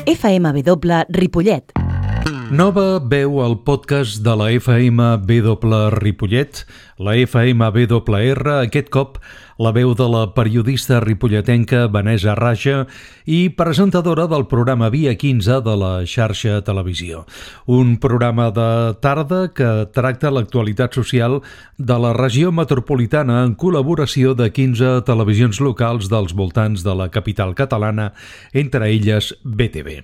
FMW Ripollet. Nova veu al podcast de la FMW Ripollet, la FMWR, aquest cop la veu de la periodista ripolletenca Vanessa Raja i presentadora del programa Via 15 de la xarxa televisió. Un programa de tarda que tracta l'actualitat social de la regió metropolitana en col·laboració de 15 televisions locals dels voltants de la capital catalana, entre elles BTV.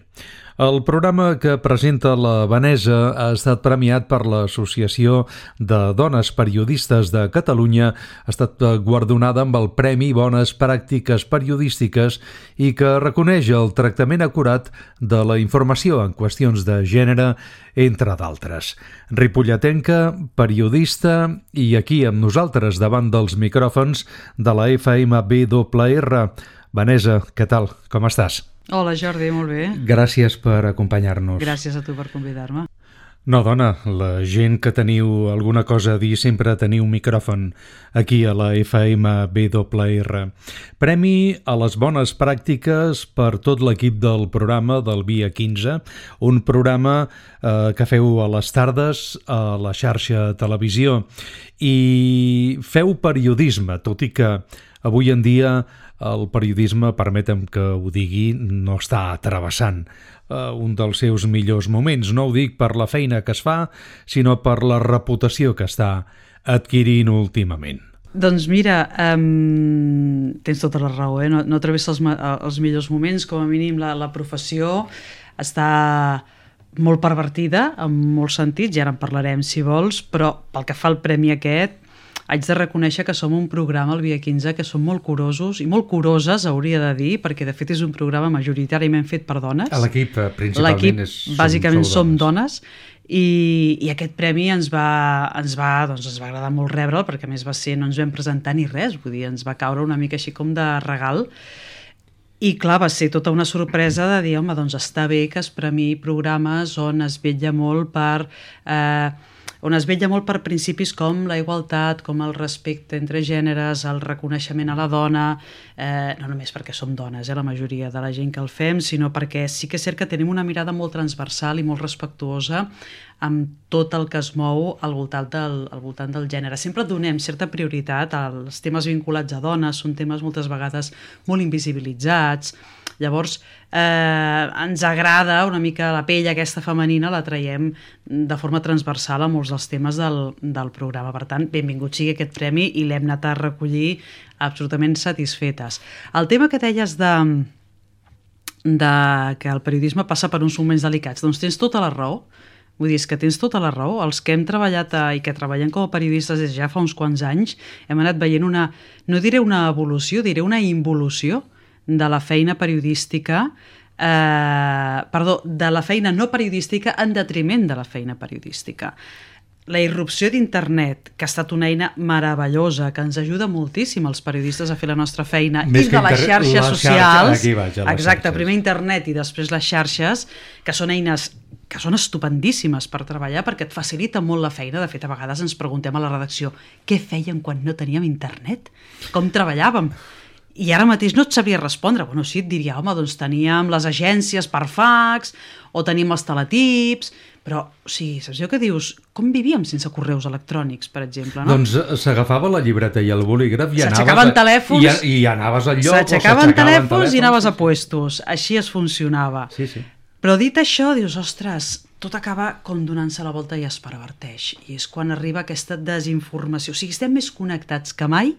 El programa que presenta la Vanessa ha estat premiat per l'Associació de Dones Periodistes de Catalunya, ha estat guardonada amb el Premi Bones Pràctiques Periodístiques i que reconeix el tractament acurat de la informació en qüestions de gènere, entre d'altres. Ripolletenca, periodista i aquí amb nosaltres davant dels micròfons de la FMWR. Vanessa, què tal? Com estàs? Hola Jordi, molt bé. Gràcies per acompanyar-nos. Gràcies a tu per convidar-me. No, dona, la gent que teniu alguna cosa a dir sempre teniu un micròfon aquí a la FMWR. Premi a les bones pràctiques per tot l'equip del programa del Via 15, un programa que feu a les tardes a la xarxa televisió i feu periodisme, tot i que avui en dia el periodisme, permetem que ho digui, no està travessant un dels seus millors moments. No ho dic per la feina que es fa, sinó per la reputació que està adquirint últimament. Doncs mira, tens tota la raó, no travessa els millors moments, com a mínim la professió està molt pervertida en molts sentits, ja en parlarem si vols, però pel que fa al premi aquest, haig de reconèixer que som un programa, el Via 15, que som molt curosos i molt curoses, hauria de dir, perquè de fet és un programa majoritàriament fet per dones. L'equip principalment bàsicament som dones i aquest premi ens va agradar molt rebre'l, perquè a més va ser, no ens vam presentar ni res, vull dir, ens va caure una mica així com de regal. I clar, va ser tota una sorpresa de dir, home, doncs està bé que es premiï programes on es vetlla molt per principis com la igualtat, com el respecte entre gèneres, el reconeixement a la dona, no només perquè som dones, la majoria de la gent que el fem, sinó perquè sí que és cert que tenim una mirada molt transversal i molt respectuosa amb tot el que es mou al voltant del gènere. Sempre donem certa prioritat als temes vinculats a dones, són temes moltes vegades molt invisibilitzats. Llavors, ens agrada una mica la pell aquesta femenina, la traiem de forma transversal a molts dels temes del programa. Per tant, benvingut sigui aquest premi i l'hem anat a recollir absolutament satisfetes. El tema que deies de que el periodisme passa per uns moments delicats, doncs tens tota la raó. Vull dir, és que tens tota la raó. Els que hem treballat i que treballem com a periodistes des ja fa uns quants anys hem anat veient no diré una evolució, diré una involució de la feina periodística, de la feina no periodística en detriment de la feina periodística. La irrupció d'internet, que ha estat una eina meravellosa, que ens ajuda moltíssim els periodistes a fer la nostra feina, i de les xarxes socials, exacte, primer internet i després les xarxes, que són eines que són estupendíssimes per treballar perquè et facilita molt la feina. De fet, a vegades ens preguntem a la redacció què fèiem quan no teníem internet? Com treballàvem? I ara mateix no et sabria respondre. Bueno, sí, et diria, home, doncs teníem les agències per fax o teníem els teletips, però, o sigui, saps allò que dius? Com vivíem sense correus electrònics, per exemple, no? Doncs s'agafava la llibreta i el bolígraf i s'aixecaven telèfons, i anaves al lloc, s'aixecaven telèfons i anaves a puestos. Així es funcionava. Sí, sí. Però dit això, dius, ostres, tot acaba com donant-se la volta i es perverteix. I és quan arriba aquesta desinformació. O sigui, estem més connectats que mai,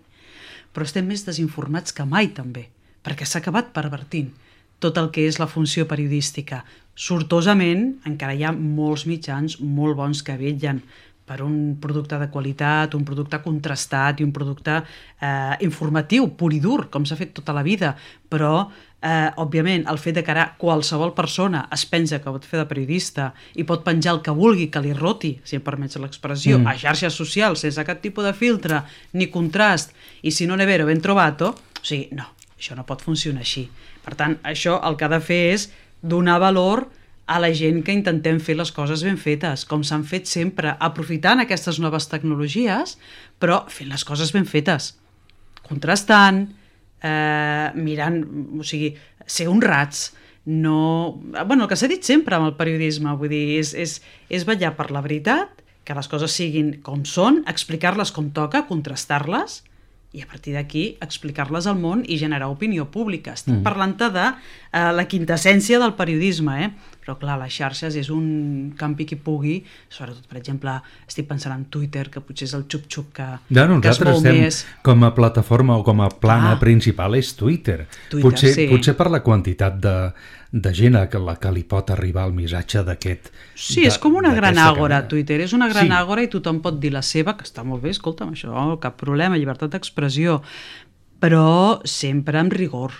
però estem més desinformats que mai també, perquè s'ha acabat pervertint tot el que és la funció periodística. Sortosament, encara hi ha molts mitjans molt bons que vetllen per un producte de qualitat, un producte contrastat i un producte informatiu, pur i dur, com s'ha fet tota la vida, però òbviament, el fet de que ara qualsevol persona es pensa que pot fer de periodista i pot penjar el que vulgui, que li roti, si em permets l'expressió, a xarxes socials, sense cap tipus de filtre ni contrast, i si no ne vero ben trovato, o sigui, no, això no pot funcionar així. Per tant, això el que ha de fer és donar valor a la gent que intentem fer les coses ben fetes, com s'han fet sempre, aprofitant aquestes noves tecnologies, però fent les coses ben fetes, contrastant, mirant, o sigui, ser honrats, no... Bueno, el que s'ha dit sempre amb el periodisme, vull dir, és vetllar per la veritat, que les coses siguin com són, explicar-les com toca, contrastar-les, i a partir d'aquí explicar-les al món i generar opinió pública. Estic parlant-te de la quintessència del periodisme, però clar, les xarxes és un campi qui pugui, sobretot, per exemple, estic pensant en Twitter, que potser és el xup-xup que es mou més. Com a plataforma o com a plana principal és Twitter. Potser per la quantitat de gent a la que li pot arribar el missatge d'aquest... Sí, és com una gran àgora, Twitter. És una gran àgora i tothom pot dir la seva, que està molt bé, escolta'm, això, cap problema, llibertat d'expressió, però sempre amb rigor.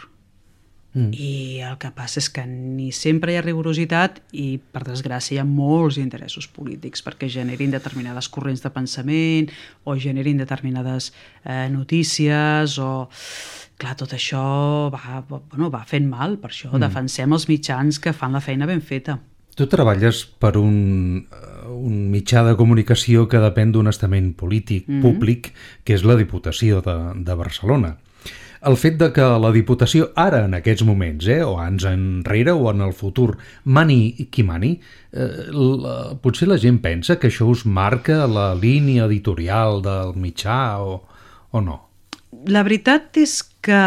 I el que passa és que ni sempre hi ha rigorositat i, per desgràcia, hi ha molts interessos polítics perquè generin determinades corrents de pensament o generin determinades notícies o... Clar, tot això va fent mal, per això defensem els mitjans que fan la feina ben feta. Tu treballes per un mitjà de comunicació que depèn d'un estament polític públic, que és la Diputació de Barcelona. El fet de que la Diputació ara, en aquests moments, o anys enrere o en el futur, mani qui mani, potser la gent pensa que això us marca la línia editorial del mitjà o no? La veritat és que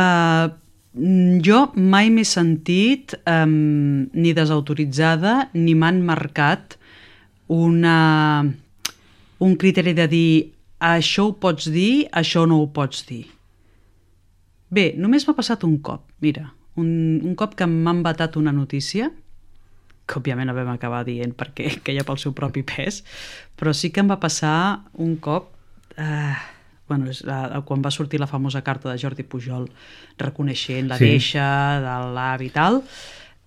jo mai m'he sentit ni desautoritzada ni m'han marcat un criteri de dir això ho pots dir, això no ho pots dir. Bé, només m'ha passat un cop, mira, un cop que m'han vetat una notícia, que òbviament no vam acabar dient perquè queia pel seu propi pes, però sí que em va passar un cop, quan va sortir la famosa carta de Jordi Pujol reconeixent la deixa de l'avi i tal,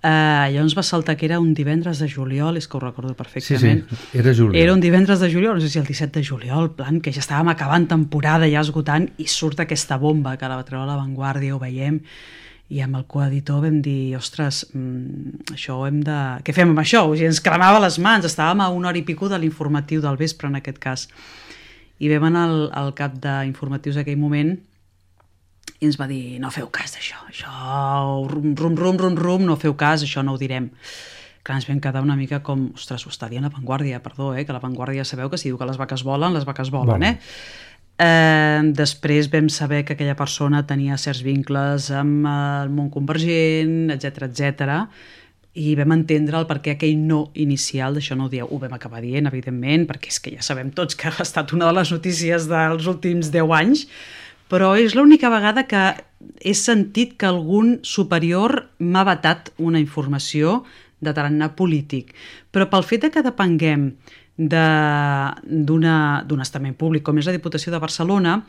llavors va saltar que era un divendres de juliol, és que ho recordo perfectament. Sí, era juliol. Era un divendres de juliol, no sé si el 17 de juliol, plan, que ja estàvem acabant temporada, ja esgotant, i surt aquesta bomba que la va treure a La Vanguardia, ho veiem, i amb el coeditor vam dir, ostres, això ho hem de... Què fem amb això? O sigui, ens cremava les mans, estàvem a 1 hora i pico de l'informatiu del vespre, en aquest cas. I vam anar al cap d'informatius d'aquell moment i ens va dir, no feu cas d'això, això, rum, no feu cas, això no ho direm. Clar, ens vam quedar una mica com, ostres, ho està dient La Vanguardia, perdó, que La Vanguardia sabeu que si diu que les vaques volen, Després vam saber que aquella persona tenia certs vincles amb el món convergent, etc. I vam entendre el perquè aquell no inicial, d'això no ho dieu, ho vam acabar dient, evidentment, perquè és que ja sabem tots que ha estat una de les notícies dels últims 10 anys, però és l'única vegada que he sentit que algun superior m'ha vetat una informació de tarannà polític. Però pel fet que depenguem d'un estament públic com és la Diputació de Barcelona,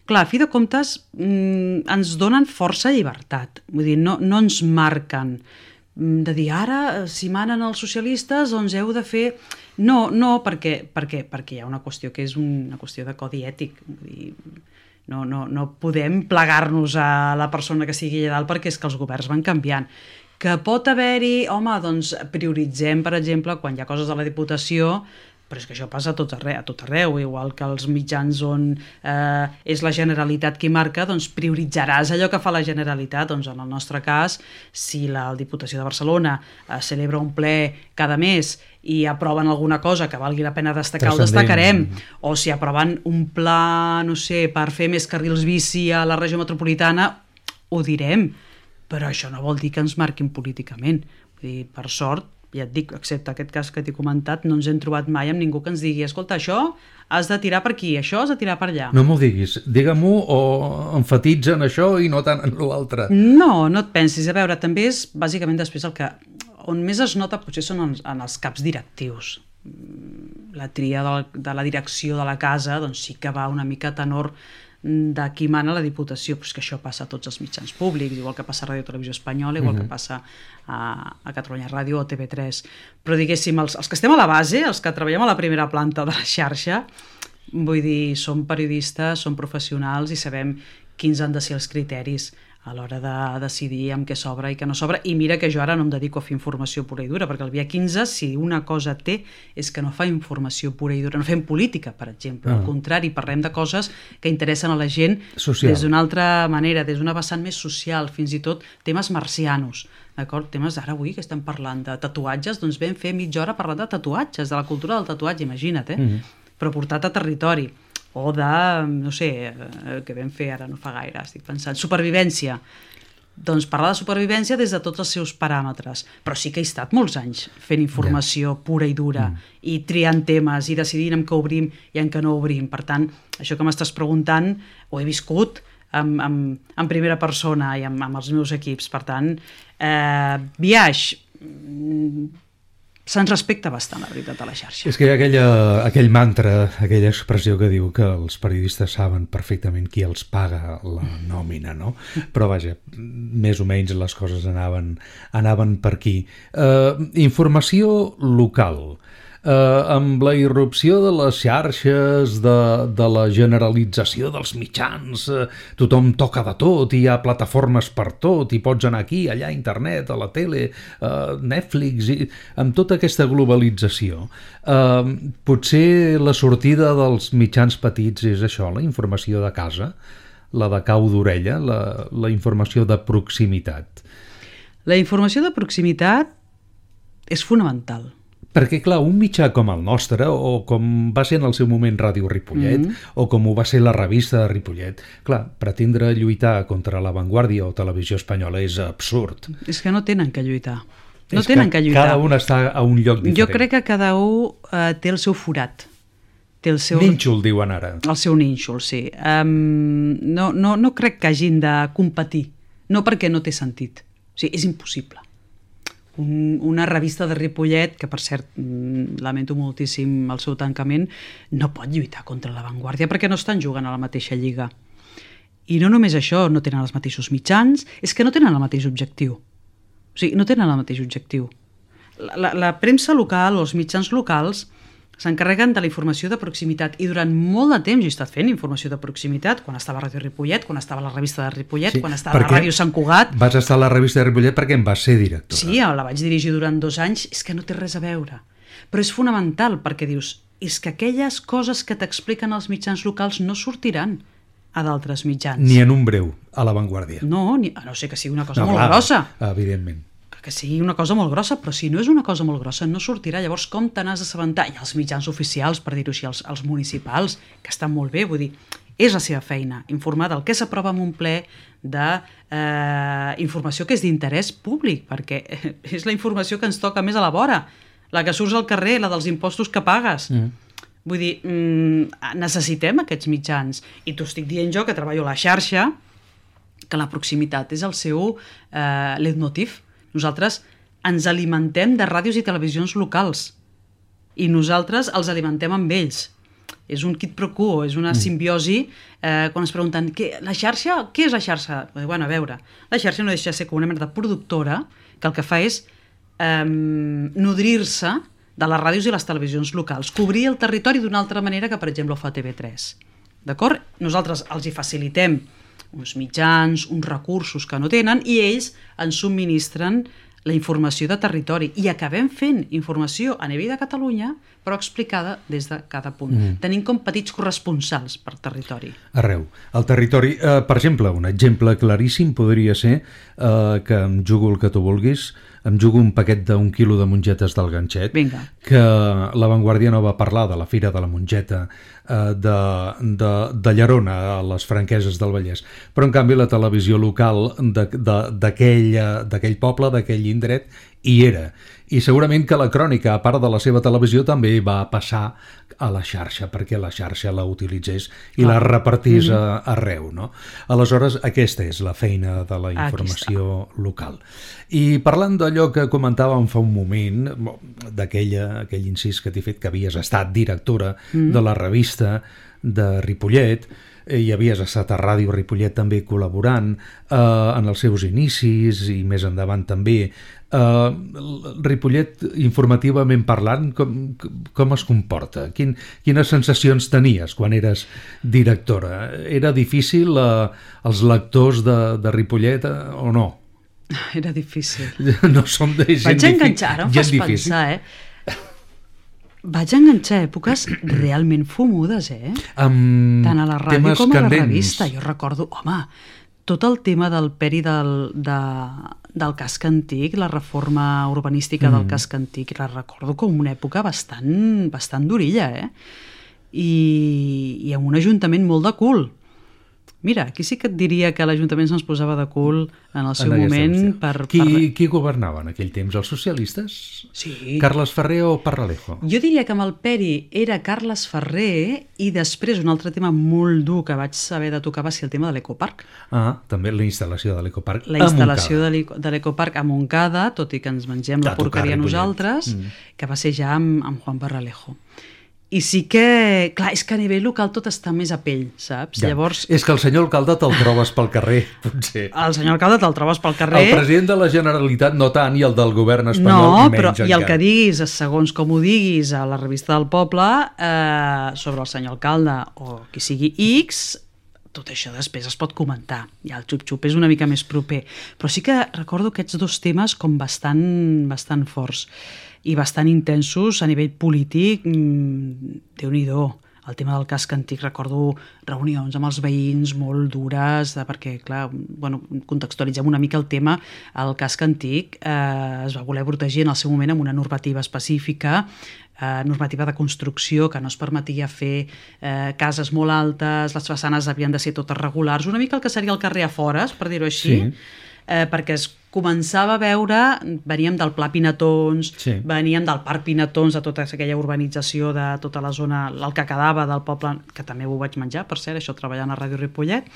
clar, a fi de comptes ens donen força llibertat. Vull dir, no ens marquen de dir ara, si manen els socialistes, doncs heu de fer... No, perquè hi ha una qüestió que és una qüestió de codi ètic. Vull dir, no podem plegar-nos a la persona que sigui allà dalt perquè és que els governs van canviant. Que pot haver-hi, home, doncs prioritzem, per exemple, quan hi ha coses a la Diputació, però és que això passa a tot arreu, igual que els mitjans on és la Generalitat qui marca, doncs prioritzaràs allò que fa la Generalitat. Doncs en el nostre cas, si la Diputació de Barcelona celebra un ple cada mes i aproven alguna cosa que valgui la pena destacar, ho destacarem. O si aproven un pla, no sé, per fer més carrils bici a la regió metropolitana, ho direm. Però això no vol dir que ens marquin políticament. Vull dir, per sort, ja et dic, excepte aquest cas que t'he comentat, no ens hem trobat mai amb ningú que ens digui, escolta, això has de tirar per aquí, això has de tirar per allà. No m'ho diguis, digue-m'ho o emfatitza en això i no tant en l'altre. No et pensis. A veure, també és bàsicament després el que... On més es nota potser són en els caps directius. La tria de la direcció de la casa doncs sí que va una mica a tenor de qui mana la Diputació, però és que això passa a tots els mitjans públics, igual que passa a Ràdio Televisió Espanyola, igual que passa a Catalunya Ràdio o TV3. Però diguéssim, els que estem a la base, els que treballem a la primera planta de la xarxa, vull dir, som periodistes, som professionals i sabem quins han de ser els criteris a l'hora de decidir amb què s'obre i què no s'obre, i mira que jo ara no em dedico a fer informació pura i dura, perquè el Via 15, si una cosa té, és que no fa informació pura i dura, no fem política, per exemple, al contrari, parlem de coses que interessen a la gent social, des d'una altra manera, des d'una vessant més social, fins i tot temes marcianos, d'acord? Temes ara avui que estem parlant de tatuatges, doncs vam fer mitja hora parlant de tatuatges, de la cultura del tatuatge, imagina't, però portat a territori, o de, no sé, que vam fer ara no fa gaire, estic pensant, supervivència. Doncs parlar de supervivència des de tots els seus paràmetres, però sí que he estat molts anys fent informació pura i dura i triant temes i decidint en què obrim i en què no obrim. Per tant, això que m'estàs preguntant ho he viscut en primera persona i amb els meus equips. Per tant, Biaix se'ns respecta bastant, la veritat, a la xarxa. És que hi ha aquell mantra, aquella expressió que diu que els periodistes saben perfectament qui els paga la nòmina, no? Però vaja, més o menys les coses anaven per aquí. Informació local. Amb la irrupció de les xarxes, de la generalització dels mitjans, tothom toca de tot, hi ha plataformes per tot, i pots anar aquí, allà, a internet, a la tele, Netflix, i amb tota aquesta globalització. Potser la sortida dels mitjans petits és això, la informació de casa, la de cau d'orella, la informació de proximitat. La informació de proximitat és fonamental. Perquè, clar, un mitjà com el nostre, o com va ser en el seu moment Ràdio Ripollet, o com ho va ser la revista de Ripollet, clar, pretendre lluitar contra La Vanguardia o Televisió Espanyola és absurd. És que no tenen que lluitar. No tenen que lluitar. Cada un està a un lloc diferent. Jo crec que cada un té el seu forat. Té el seu... Nínxol, diuen ara. El seu nínxol, sí. No crec que hagin de competir. No perquè no té sentit. O sigui, és impossible. Una revista de Ripollet, que per cert lamento moltíssim el seu tancament, no pot lluitar contra La Vanguardia perquè no estan jugant a la mateixa lliga. I no només això, no tenen els mateixos mitjans, és que no tenen el mateix objectiu. O sigui, no tenen el mateix objectiu. La premsa local o els mitjans locals s'encarreguen de la informació de proximitat, i durant molt de temps he estat fent informació de proximitat, quan estava a Ràdio Ripollet, quan estava a la revista de Ripollet, quan estava a la Ràdio Sant Cugat. Vas estar a la revista de Ripollet perquè en vas ser directora. Sí, la vaig dirigir durant 2 anys, és que no té res a veure. Però és fonamental, perquè dius, és que aquelles coses que t'expliquen els mitjans locals no sortiran a d'altres mitjans. Ni en un breu, a La Vanguardia. No, a no ser que sigui una cosa molt grossa. Evidentment. Que sigui una cosa molt grossa, però si no és una cosa molt grossa no sortirà. Llavors, com te n'has d'assabentar? I els mitjans oficials, per dir-ho així, els municipals, que estan molt bé, vull dir, és la seva feina, informar del que s'aprova en un ple, de informació que és d'interès públic, perquè és la informació que ens toca més a la vora, la que surts al carrer, la dels impostos que pagues. Vull dir, necessitem aquests mitjans. I t'ho estic dient jo, que treballo a la xarxa, que la proximitat és el seu leitmotiv. Nosaltres ens alimentem de ràdios i televisions locals i nosaltres els alimentem amb ells. És un quid pro quo, és una simbiosi. Quan es pregunten, la xarxa? Què és la xarxa? Bueno, a veure, la xarxa no deixa de ser com una mena de productora que el que fa és nodrir-se de les ràdios i les televisions locals, cobrir el territori d'una altra manera que, per exemple, ho fa TV3. D'acord? Nosaltres els hi facilitem uns mitjans, uns recursos que no tenen, i ells ens subministren la informació de territori, i acabem fent informació a nivell de Catalunya, però explicada des de cada punt. Tenim com petits corresponsals per territori. Arreu. El territori, per exemple, un exemple claríssim podria ser que em jugo el que tu vulguis, em jugo un paquet d'1 quilo de mongetes del ganxet. Vinga. Que La Vanguardia no va parlar de la Fira de la Mongeta de Llerona, a les Franqueses del Vallès, però en canvi la televisió local d'aquell poble, d'aquell indret, hi era. I segurament que la crònica, a part de la seva televisió, també va passar a la xarxa, perquè la xarxa la utilitzés i la repartís arreu, no? Aleshores, aquesta és la feina de la informació local. I parlant d'allò que comentàvem fa un moment, d'aquell incís que t'he fet, que havies estat directora de la revista de Ripollet, i havies estat a Ràdio Ripollet també col·laborant en els seus inicis i més endavant també. Ripollet, informativament parlant, com es comporta? Quines sensacions tenies quan eres directora? Era difícil els lectors de Ripollet o no? Era difícil. No som de gent difícil. Vaig enganxar, ara em fas pensar, Vaig enganxar èpoques realment fumudes, tant a la ràdio com a la revista. Jo recordo, tot el tema del peri del casc antic, la reforma urbanística del casc antic, la recordo com una època bastant durilla, I amb un ajuntament molt de cul. Mira, aquí sí que et diria que l'Ajuntament se'ns posava de cul en el seu moment. Qui governava en aquell temps? Els socialistes? Sí. Carles Ferrer o Parralejo? Jo diria que amb el Peri era Carles Ferrer i després un altre tema molt dur que vaig saber de tocar va ser el tema de l'Ecoparc. També la instal·lació de l'Ecoparc La instal·lació de l'Ecoparc a Montcada, tot i que ens mengem la porqueria nosaltres, que va ser ja amb Juan Parralejo. I sí que, clar, és que a nivell local tot està més a pell, saps? Ja. Llavors... És que el senyor alcalde te'l trobes pel carrer, potser. El senyor alcalde te'l trobes pel carrer. El president de la Generalitat no tant, i el del govern espanyol menys encara. I el que diguis, segons com ho diguis a la revista del poble, sobre el senyor alcalde o qui sigui X, tot això després es pot comentar. Ja el xup-xup és una mica més proper. Però sí que recordo aquests dos temes com bastant forts i bastant intensos a nivell polític. Déu-n'hi-do. El tema del casc antic, recordo reunions amb els veïns molt dures, perquè, clar, contextualitzem una mica el tema. El casc antic es va voler protegir en el seu moment amb una normativa específica, normativa de construcció, que no es permetia fer cases molt altes, les façanes havien de ser totes regulars, una mica el que seria el carrer a fores, per dir-ho així, perquè es començava a veure, veníem del Pla Pinatons, veníem del Parc Pinatons, de tota aquella urbanització de tota la zona, el que quedava del poble, que també ho vaig menjar, per cert, això treballant a Ràdio Ripollet,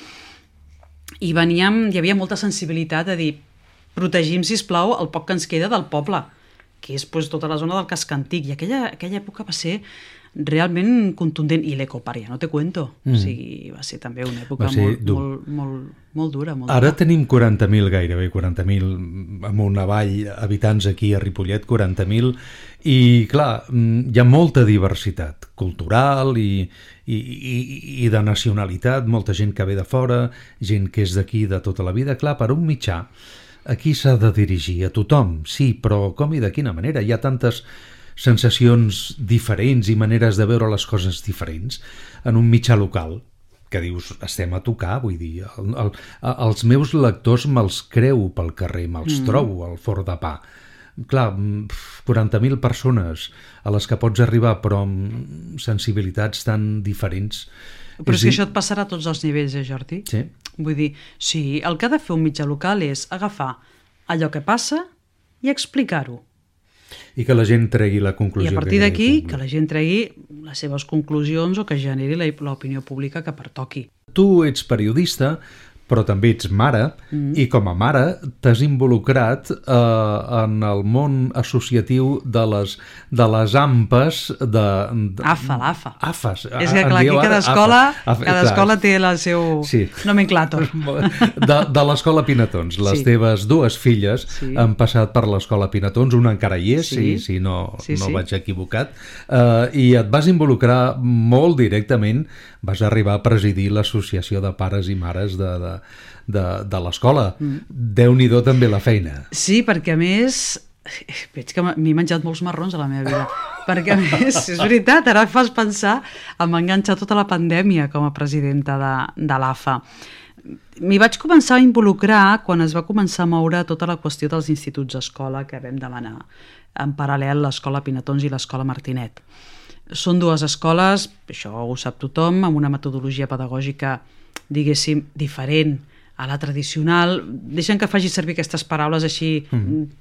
i hi havia molta sensibilitat a dir, protegim, sisplau, el poc que ens queda del poble, que és tota la zona del casc antic, i aquella època va ser realment contundent, i l'Ecoparc, ja no te cuento. O sigui, va ser també una època molt dura. Ara tenim 40.000, gairebé 40.000, amunt avall, habitants aquí a Ripollet, 40.000, i clar, hi ha molta diversitat cultural i de nacionalitat, molta gent que ve de fora, gent que és d'aquí de tota la vida. Clar, per un mitjà, aquí s'ha de dirigir a tothom, sí, però com i de quina manera? Hi ha tantes sensacions diferents i maneres de veure les coses diferents en un mitjà local que dius, estem a tocar, vull dir, els meus lectors me'ls creu pel carrer, me'ls trobo al forn de pa. Clar, 40.000 persones a les que pots arribar, però amb sensibilitats tan diferents. Però és que això et passarà a tots els nivells, Jordi? Sí. Vull dir, sí, el que ha de fer un mitjà local és agafar allò que passa i explicar-ho. I que la gent tregui la conclusió. I a partir d'aquí, que la gent tregui les seves conclusions o que generi l'opinió pública que pertoqui. Tu ets periodista, però també ets mare, i com a mare t'has involucrat en el món associatiu de les AMPAs l'AFA. AFAs. És que clar, aquí cada escola té el seu nomenclàtor. De l'escola Pinatons. Les teves dues filles han passat per l'escola Pinatons, una encara hi és, si no vaig equivocat, i et vas involucrar molt directament, vas arribar a presidir l'associació de pares i mares de l'escola. Déu-n'hi-do també la feina. Sí, perquè a més veig que m'he menjat molts marrons a la meva vida, perquè a més, és veritat, ara fas pensar em va enganxar tota la pandèmia com a presidenta de l'AFA. M'hi vaig començar a involucrar quan es va començar a moure tota la qüestió dels instituts escola que vam demanar en paral·lel l'escola Pinatons i l'escola Martinet. Són dues escoles, això ho sap tothom, amb una metodologia pedagògica, diguéssim, diferent a la tradicional. Deixen que faci servir aquestes paraules així,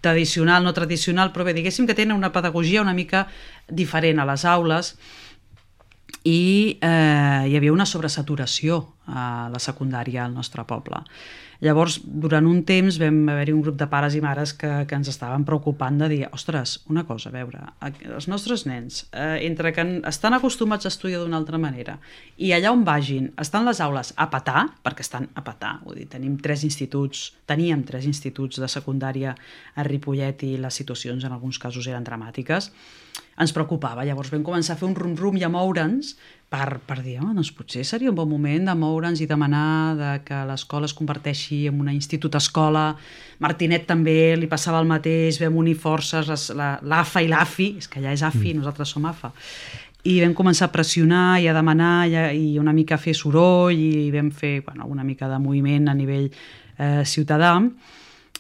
tradicional, no tradicional, però bé, diguéssim que tenen una pedagogia una mica diferent a les aules i hi havia una sobresaturació la secundària al nostre poble. Llavors, durant un temps vam haver-hi un grup de pares i mares que ens estaven preocupant de dir, ostres, una cosa, a veure, els nostres nens, entre que estan acostumats a estudiar d'una altra manera i allà on vagin, estan les aules a petar, perquè estan a petar, vull dir, teníem 3 instituts de secundària a Ripollet i les situacions en alguns casos eren dramàtiques, ens preocupava. Llavors vam començar a fer un rum-rum i a moure'ns per dir, doncs potser seria un bon moment de moure'ns i demanar que l'escola es converteixi en una institut-escola. Martinet també li passava el mateix, vam unir forces, l'AFA i l'AFI, és que allà és AFI, nosaltres som AFA, i vam començar a pressionar i a demanar i una mica a fer soroll i vam fer una mica de moviment a nivell ciutadà,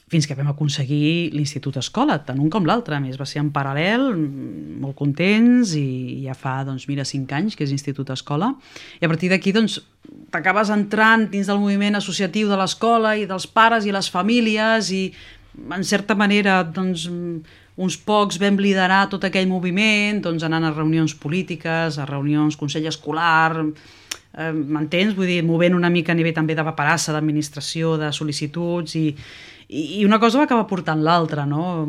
fins que vam aconseguir l'Institut Escola, tant un com l'altre. A més, va ser en paral·lel, molt contents, i ja fa, 5 anys que és Institut Escola. I a partir d'aquí, t'acabes entrant dins del moviment associatiu de l'escola i dels pares i les famílies i, en certa manera, uns pocs vam liderar tot aquell moviment, anant a reunions polítiques, a reunions consell escolar, m'entens? Vull dir, movent una mica a nivell també de paperassa, d'administració, de sol·licituds, i una cosa va acabar portant l'altra, no?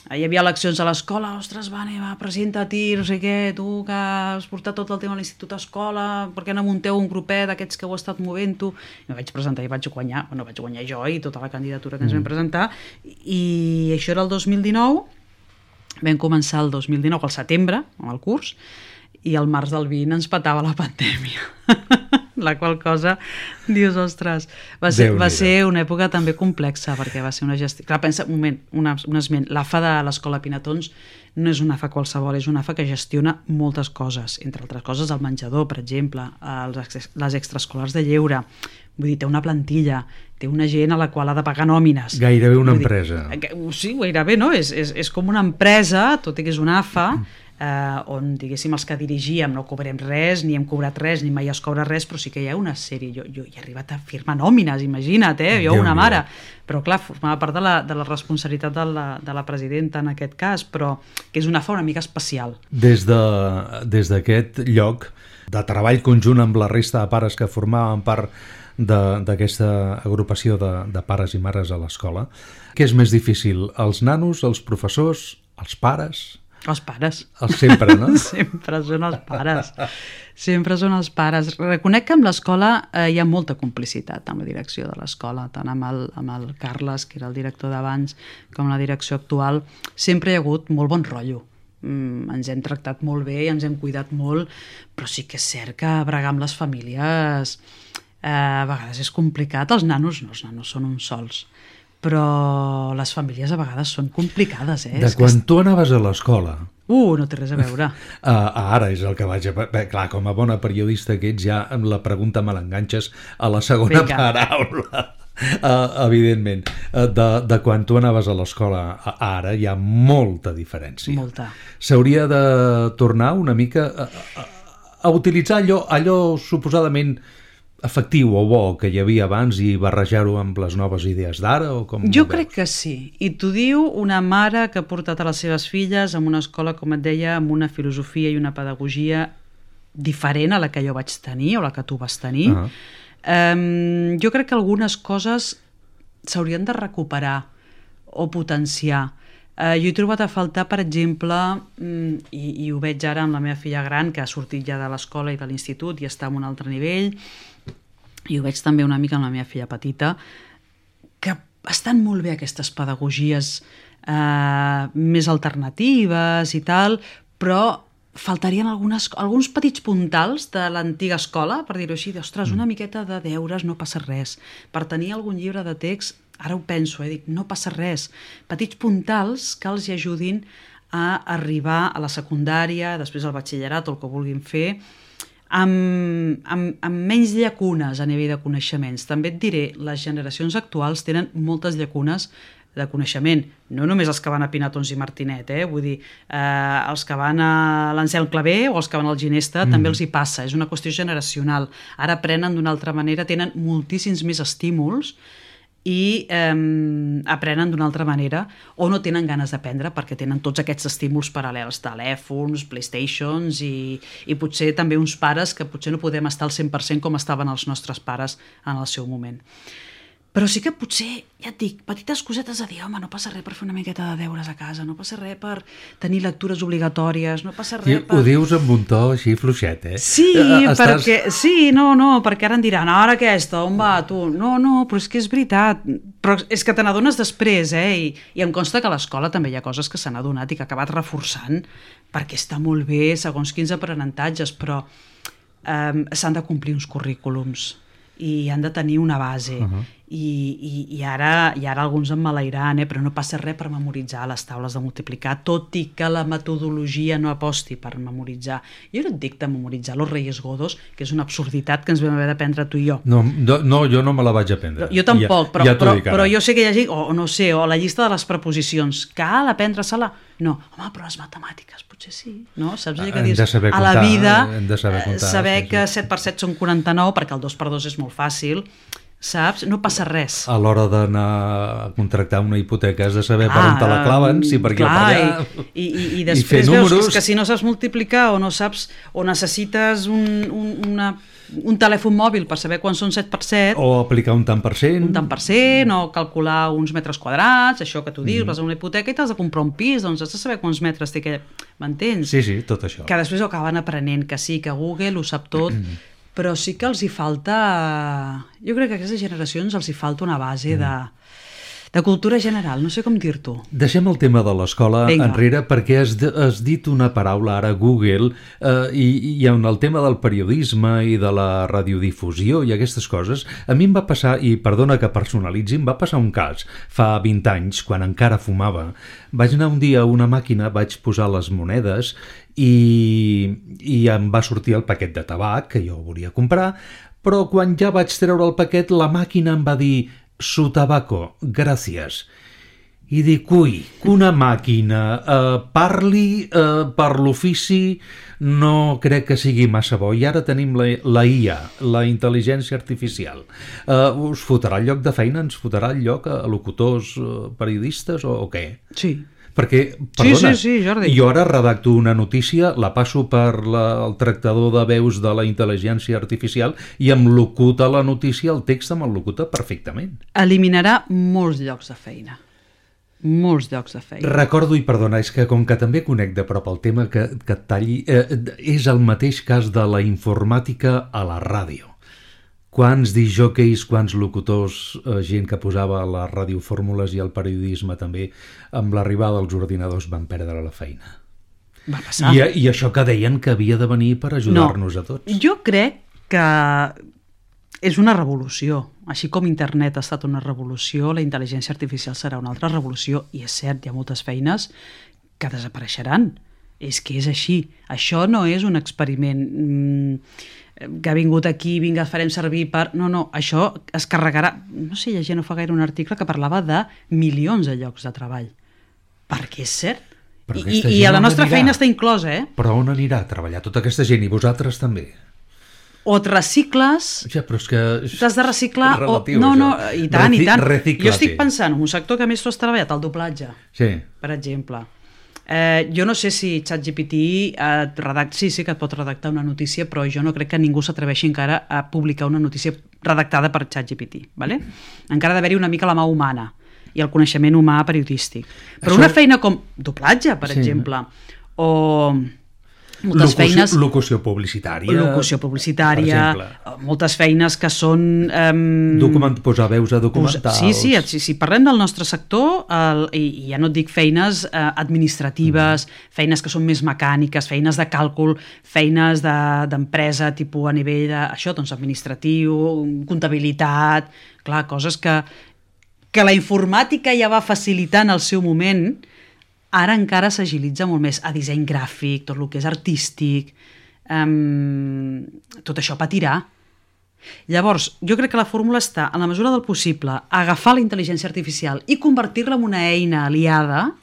Hi havia eleccions a l'escola, ostres, va, presenta-t'hi, no sé què, tu que has portat tot el tema a l'Institut Escola, per què no munteu un grupet d'aquests que heu estat movent-ho? I vaig presentar i vaig guanyar jo i tota la candidatura que ens vam presentar, i això era el 2019, vam començar el 2019 al setembre, amb el curs, i al març del 20 ens petava la pandèmia. La qual cosa, dius, ostres, va ser una època també complexa, perquè va ser una gestió... Clar, pensa, un moment, un esment, l'AFA de l'Escola Pinatons no és una AFA qualsevol, és una AFA que gestiona moltes coses, entre altres coses el menjador, per exemple, les extraescolars de lleure, vull dir, té una plantilla, té una gent a la qual ha de pagar nòmines. Gairebé una empresa. Sí, gairebé, no? És com una empresa, tot i que és una AFA, on, diguéssim, els que dirigíem no cobrem res, ni hem cobrat res, ni mai es cobra res, però sí que hi ha una sèrie. Jo he arribat a firmar nòmines, imagina't, jo una mare. Però clar, formava part de la responsabilitat de la presidenta en aquest cas, però que és una AFA una mica especial. Des d'aquest lloc de treball conjunt amb la resta de pares que formaven part d'aquesta agrupació de pares i mares a l'escola, què és més difícil? Els nanos, els professors, els pares? Els pares. Sempre, no? Sempre són els pares. Sempre són els pares. Reconec que amb l'escola hi ha molta complicitat amb la direcció de l'escola, tant amb el Carles, que era el director d'abans, com la direcció actual. Sempre hi ha hagut molt bon rotllo. Ens hem tractat molt bé, ens hem cuidat molt, però sí que és cert que bregar amb les famílies a vegades és complicat. Els nanos són uns sols. Però les famílies a vegades són complicades, De quan tu anaves a l'escola... No té res a veure. Ara és el que vaig a... Clar, com a bona periodista que ets, ja amb la pregunta me l'enganxes a la segona paraula. Evidentment. De quan tu anaves a l'escola a ara hi ha molta diferència. Molta. S'hauria de tornar una mica a utilitzar allò suposadament efectiu o bo que hi havia abans i barrejar-ho amb les noves idees d'ara? Jo crec que sí. I t'ho diu una mare que ha portat a les seves filles en una escola, com et deia, amb una filosofia i una pedagogia diferent a la que jo vaig tenir o la que tu vas tenir. Jo crec que algunes coses s'haurien de recuperar o potenciar. Jo he trobat a faltar, per exemple, i ho veig ara amb la meva filla gran, que ha sortit ja de l'escola i de l'institut i està en un altre nivell, i ho veig també una mica amb la meva filla petita, que estan molt bé aquestes pedagogies més alternatives i tal, però faltarien alguns petits puntals de l'antiga escola, per dir-ho així, ostres, una miqueta de deures, no passa res. Per tenir algun llibre de text, ara ho penso, dic, no passa res. Petits puntals que els ajudin a arribar a la secundària, després al batxillerat o el que vulguin fer, amb menys llacunes a nivell de coneixements. També et diré, les generacions actuals tenen moltes llacunes de coneixement, no només els que van a Pinatons i Martinet, vull dir, els que van a l'Anselm Clavé o els que van al Ginesta també els hi passa, és una qüestió generacional. Ara aprenen d'una altra manera, tenen moltíssims més estímuls i aprenen d'una altra manera o no tenen ganes d'aprendre perquè tenen tots aquests estímuls paral·lels, telèfons, Playstations i potser també uns pares que potser no podem estar al 100% com estaven els nostres pares en el seu moment. Però sí que potser, ja et dic, petites cosetes a dir, home, no passa res per fer una miqueta de deures a casa, no passa res per tenir lectures obligatòries, no passa res per... Ho dius amb un to així fluixet, eh? Sí, perquè... Sí, no, perquè ara em diran, ara aquesta, on va, tu? No, però és que és veritat. Però és que te n'adones després, I em consta que a l'escola també hi ha coses que s'han adonat i que ha acabat reforçant perquè està molt bé segons quins aprenentatges, però s'han de complir uns currículums i han de tenir una base. I ara alguns em malairan, però no passa res per memoritzar les taules de multiplicar, tot i que la metodologia no aposti per memoritzar. Jo no et dic de memoritzar los Reyes Godos, que és una absurditat que ens vam haver d'aprendre tu i jo. No, jo no me la vaig aprendre. Jo tampoc, però jo sé que hi ha gent, o la llista de les preposicions, cal aprendre-se-la? No, home, però les matemàtiques potser sí, no? Saps allò que dius? A la vida, saber que 7 per 7 són 49, perquè el 2 per 2 és molt fàcil, saps? No passa res. A l'hora d'anar a contractar una hipoteca has de saber per on te la claven, si per aquí o per allà. I després veus que si no saps multiplicar o no saps, o necessites un telèfon mòbil per saber quan són 7 per 7... O aplicar un tant per cent. Un tant per cent, o calcular uns metres quadrats, això que tu dius, vas a una hipoteca i t'has de comprar un pis, doncs has de saber quants metres té aquell... M'entens? Sí, tot això. Que després ho acaben aprenent, que sí, que Google ho sap tot, però sí que els hi falta... Jo crec que a aquestes generacions els hi falta una base de cultura general, no sé com dir-t'ho. Deixem el tema de l'escola enrere perquè has dit una paraula ara, Google, i en el tema del periodisme i de la radiodifusió i aquestes coses, a mi em va passar, i perdona que personalitzi, em va passar un cas fa 20 anys, quan encara fumava. Vaig anar un dia a una màquina, vaig posar les monedes i em va sortir el paquet de tabac que jo volia comprar, però quan ja vaig treure el paquet, la màquina em va dir «Su tabaco, gràcies». I dic, ui, que una màquina parli per l'ofici no crec que sigui massa bo. I ara tenim la IA, la intel·ligència artificial. Us fotrà el lloc de feina? Ens fotrà el lloc a locutors, periodistes o què? Sí. Perquè, perdona, sí, Jordi. Jo ara redacto una notícia, la passo per el tractador de veus de la intel·ligència artificial i em locuta la notícia, el text em el locuta perfectament. Eliminarà molts llocs de feina. Molts llocs de feina. Recordo, i perdona, és que com que també conec de prop el tema que et talli, és el mateix cas de la informàtica a la ràdio. Quants disjòqueis, quants locutors, gent que posava a les radiofórmules i al periodisme també, amb l'arribada dels ordinadors van perdre la feina. Va passar. I això que deien que havia de venir per ajudar-nos a tots. Jo crec que és una revolució. Així com internet ha estat una revolució, la intel·ligència artificial serà una altra revolució, i és cert, hi ha moltes feines que desapareixeran. És que és així. Això no és un experiment que ha vingut aquí, vinga, el farem servir per... No, això es carregarà... No sé, llegint no fa gaire un article que parlava de milions de llocs de treball. Perquè és cert. I a la nostra feina està inclosa, Però on anirà a treballar tota aquesta gent? I vosaltres també? O et recicles... Ja, però és que... T'has de reciclar... Relatiu, no, i tant. Reciclate. Jo estic pensant en un sector que més tu has treballat, el doblatge, per exemple. Jo no sé si ChatGPT sí que et pot redactar una notícia, però jo no crec que ningú s'atreveixi encara a publicar una notícia redactada per ChatGPT, ¿vale? Encara ha d'haver-hi una mica la mà humana i el coneixement humà periodístic. Però una feina com doblatge, per exemple, o moltes feines... Locució publicitària, moltes feines que són... posar veus a documentals... Si parlem del nostre sector, i ja no et dic feines administratives, feines que són més mecàniques, feines de càlcul, feines d'empresa, tipus a nivell administratiu, comptabilitat... Clar, coses que la informàtica ja va facilitar en el seu moment... Ara encara s'agilitza molt més a disseny gràfic, tot el que és artístic, tot això patirà. Llavors, jo crec que la fórmula està, en la mesura del possible, agafar la intel·ligència artificial i convertir-la en una eina aliada,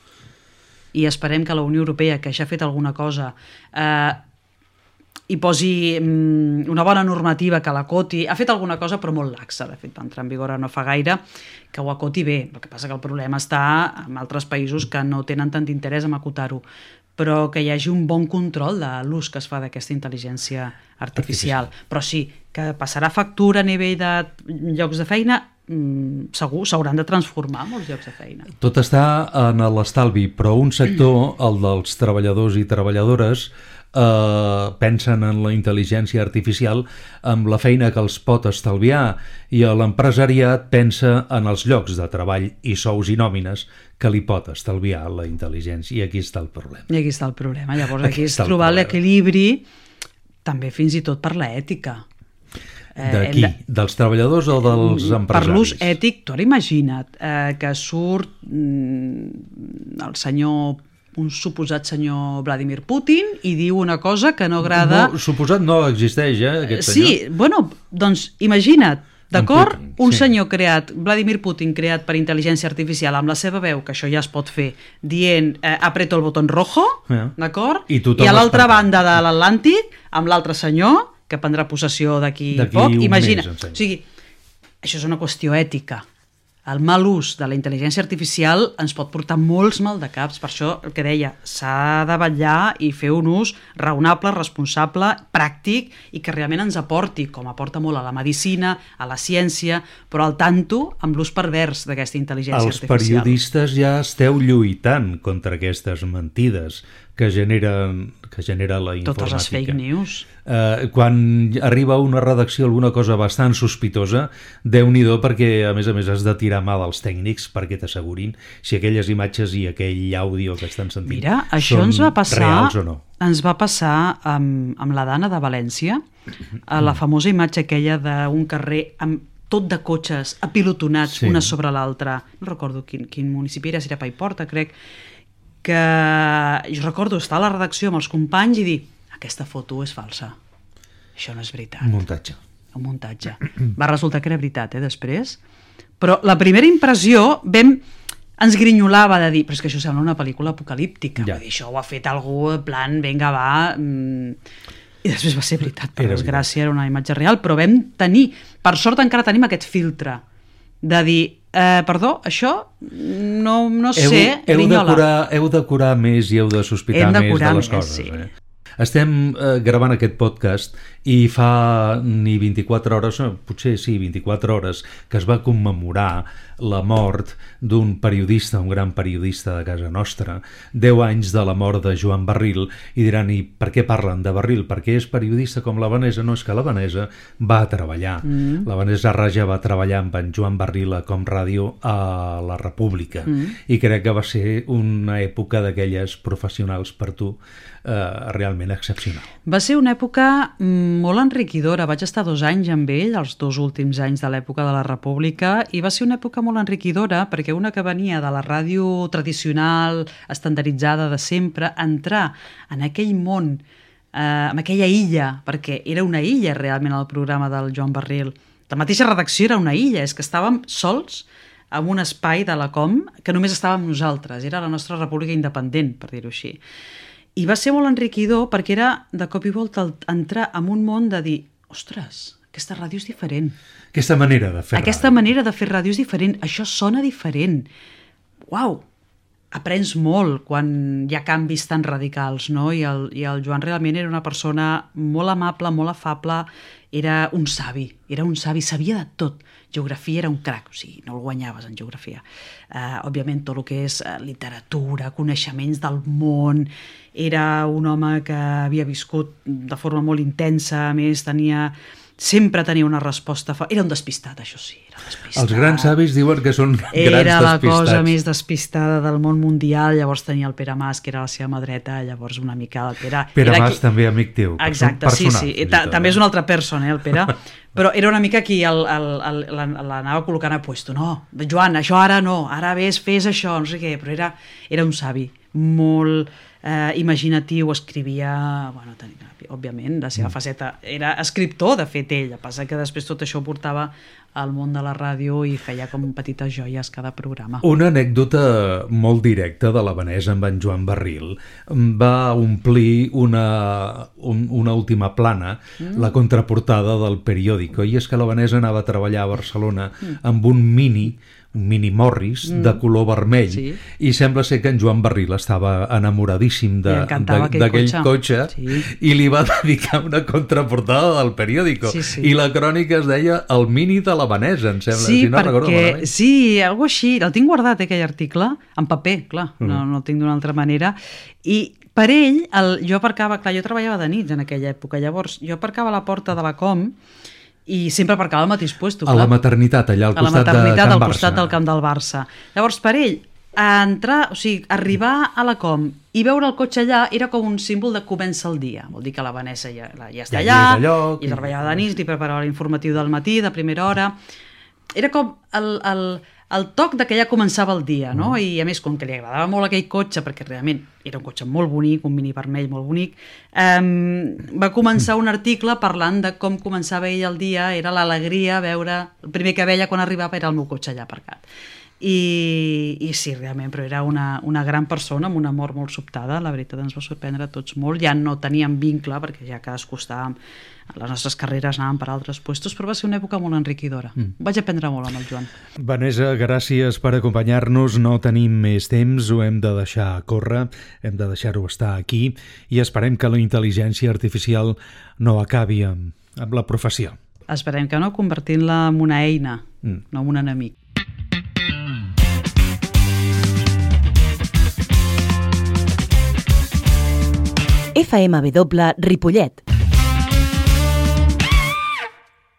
i esperem que la Unió Europea, que ja ha fet alguna cosa, hi posi una bona normativa que l'acoti. Ha fet alguna cosa però molt laxa, de fet va entrar en vigor no fa gaire, que ho acoti bé. El que passa que el problema està en altres països que no tenen tant interès en acotar-ho, però que hi hagi un bon control de l'ús que es fa d'aquesta intel·ligència artificial. Però sí, que passarà factura a nivell de llocs de feina, segur, s'hauran de transformar molts llocs de feina. Tot està en l'estalvi, però un sector, el dels treballadors i treballadores, pensen en la intel·ligència artificial amb la feina que els pot estalviar, i l'empresariat pensa en els llocs de treball i sous i nòmines que li pot estalviar la intel·ligència, i aquí està el problema. I aquí està el problema. Llavors aquí és trobar l'equilibri, també fins i tot per l'ètica. De qui? Dels treballadors o dels empresaris? Per l'ús ètic, tu ara imagina't que surt el senyor, un suposat senyor Vladimir Putin, i diu una cosa que no agrada... No, suposat no existeix, aquest senyor. Sí, bueno, doncs imagina't, d'acord? Un senyor creat, Vladimir Putin, creat per intel·ligència artificial, amb la seva veu, que això ja es pot fer, dient apreto el botó rojo, d'acord? I a l'altra banda de l'Atlàntic, amb l'altre senyor, que prendrà possessió d'aquí poc, imagina. O sigui, això és una qüestió ètica. El mal ús de la intel·ligència artificial ens pot portar molts maldecaps. Per això el que deia, s'ha de vetllar i fer un ús raonable, responsable, pràctic, i que realment ens aporti, com aporta molt a la medicina, a la ciència, però al tanto amb l'ús pervers d'aquesta intel·ligència artificial. Els periodistes ja esteu lluitant contra aquestes mentides que genera la informàtica. Totes les fake news. Quan arriba a una redacció alguna cosa bastant sospitosa, Déu-n'hi-do, perquè a més has de tirar mà dels tècnics perquè t'assegurin si aquelles imatges i aquell àudio que estan sentint Mira, això són ens va passar, reals o no. Ens va passar amb la Dana de València, a la famosa imatge aquella d'un carrer amb tot de cotxes apilotonats, una sobre l'altra. No recordo quin municipi era, si era Paiporta, crec, que jo recordo estar a la redacció amb els companys i dir, aquesta foto és falsa, això no és veritat. Un muntatge. Va resultar que era veritat, després. Però la primera impressió ens grinyolava de dir, però és que això sembla una pel·lícula apocalíptica. Vull dir, això ho ha fet algú, en plan, vinga, va... I després va ser veritat, per desgràcia, era una imatge real, però vam tenir, per sort encara tenim aquest filtre de dir, perdó, això no sé, grinyola. Heu de curar més i heu de sospitar més de les coses. Sí. Estem gravant aquest podcast i fa ni 24 hores, potser sí, 24 hores, que es va commemorar la mort d'un periodista, un gran periodista de casa nostra, 10 anys de la mort de Joan Barril, i diran, i per què parlen de Barril? Perquè és periodista com la Vanessa? No, és que la Vanessa va treballar. La Vanessa Raja va treballar amb en Joan Barril a Com Ràdio a la República, i crec que va ser una època d'aquelles professionals per tu realment excepcional. Va ser una època molt enriquidora. Vaig estar 2 anys amb ell, els 2 últims anys de l'època de la República, i va ser una època molt enriquidora perquè una que venia de la ràdio tradicional, estandarditzada de sempre, entrar en aquell món, en aquella illa, perquè era una illa realment el programa del Joan Barril. La mateixa redacció era una illa, és que estàvem sols en un espai de la Com que només estàvem nosaltres, era la nostra república independent, per dir-ho així. I va ser molt enriquidor perquè era de cop i volta entrar en un món de dir, ostres, aquesta ràdio és diferent. Aquesta manera de fer ràdio. Aquesta manera de fer ràdio és diferent, això sona diferent. Uau! Aprens molt quan hi ha canvis tan radicals, no? I el Joan realment era una persona molt amable, molt afable, era un savi, sabia de tot. Geografia era un crac, o sigui, no el guanyaves en geografia. Òbviament, tot el que és literatura, coneixements del món, era un home que havia viscut de forma molt intensa, a més sempre tenia una resposta... Era un despistat, això sí, era un despistat. Els grans savis diuen que són grans despistats. Era la cosa més despistada del món mundial, llavors tenia el Pere Mas, que era la seva mà dreta, llavors una mica el Pere... Pere Mas també amic teu. Exacte, sí. També és una altra persona, el Pere. Però era una mica qui l'anava col·locant a puesto. No, Joan, això ara no, ara fes això, no sé què, però era un savi molt imaginatiu, escrivia, òbviament, la seva faceta era escriptor, de fet, ell, a passar que després tot això ho portava al món de la ràdio i feia com petites joies cada programa. Una anècdota molt directa de la Vanessa amb en Joan Barril va omplir una última plana, la contraportada del periòdico, i és que la Vanessa anava a treballar a Barcelona amb un mini Morris de color vermell, i sembla ser que en Joan Barril estava enamoradíssim d'aquell cotxe, i li va dedicar una contraportada del periòdico, i la crònica es deia El mini de la Vanessa, em sembla, si no recordo malament. Sí, alguna cosa així, el tinc guardat, aquell article, en paper, clar, no el tinc d'una altra manera, i per ell, jo aparcava, clar, jo treballava de nit en aquella època, llavors jo aparcava a la porta de la Com i sempre aparcava al mateix puesto. A la maternitat, allà al costat al costat del camp del Barça. Llavors, per ell, arribar a la Com i veure el cotxe allà era com un símbol de comença el dia. Vol dir que la Vanessa ja està allà, i treballava de nit, i preparava l'informatiu del matí, de primera hora. Era com el toc de que ja començava el dia, no? I a més, com que li agradava molt aquell cotxe, perquè realment era un cotxe molt bonic, un mini vermell molt bonic, va començar un article parlant de com començava ell el dia, era l'alegria veure, el primer que veia quan arribava era el meu cotxe allà aparcat. I sí, realment, però era una gran persona amb una mort molt sobtada, la veritat ens va sorprendre a tots molt, ja no teníem vincle perquè ja cadascú estàvem, les nostres carreres anàvem per altres puestos, però va ser una època molt enriquidora. Vaig aprendre molt amb el Joan. Vanessa, gràcies per acompanyar-nos, no tenim més temps, ho hem de deixar córrer, hem de deixar-ho estar aquí i esperem que la intel·ligència artificial no acabi amb la professió. Esperem que no, convertint-la en una eina, no en un enemic. FMW Ripollet